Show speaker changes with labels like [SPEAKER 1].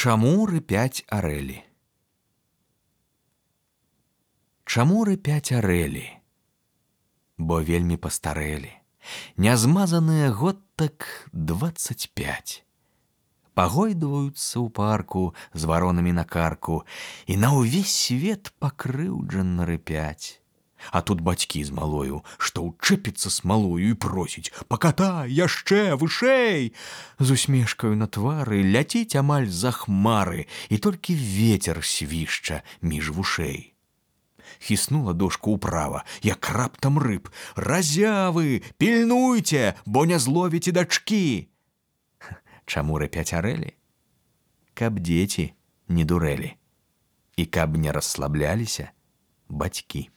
[SPEAKER 1] Чаму рыпяць арэлі? Чаму рыпяць арэлі? Бо вельмі пастарэлі. Нязмазаныя год так 25. Пагойдваюцца ў парку з варонамі на карку і на ўвесь свет пакрыўджана рыпяць. А тут бацькі з малою, што ўчэпіцца смалою і просіць: «Пакатай яшчэ вышэй!» З усмешкаю на твары ляціць амаль за хмары, і толькі вецер свішча між вушэй. Хіснула дошку ўправа, як раптам рыб: «Разявы, пільнуйце, бо не зловіце дачкі!» Чаму рыпяць арэлі? Каб дзеці не дурэлі і каб не расслабляліся бацькі.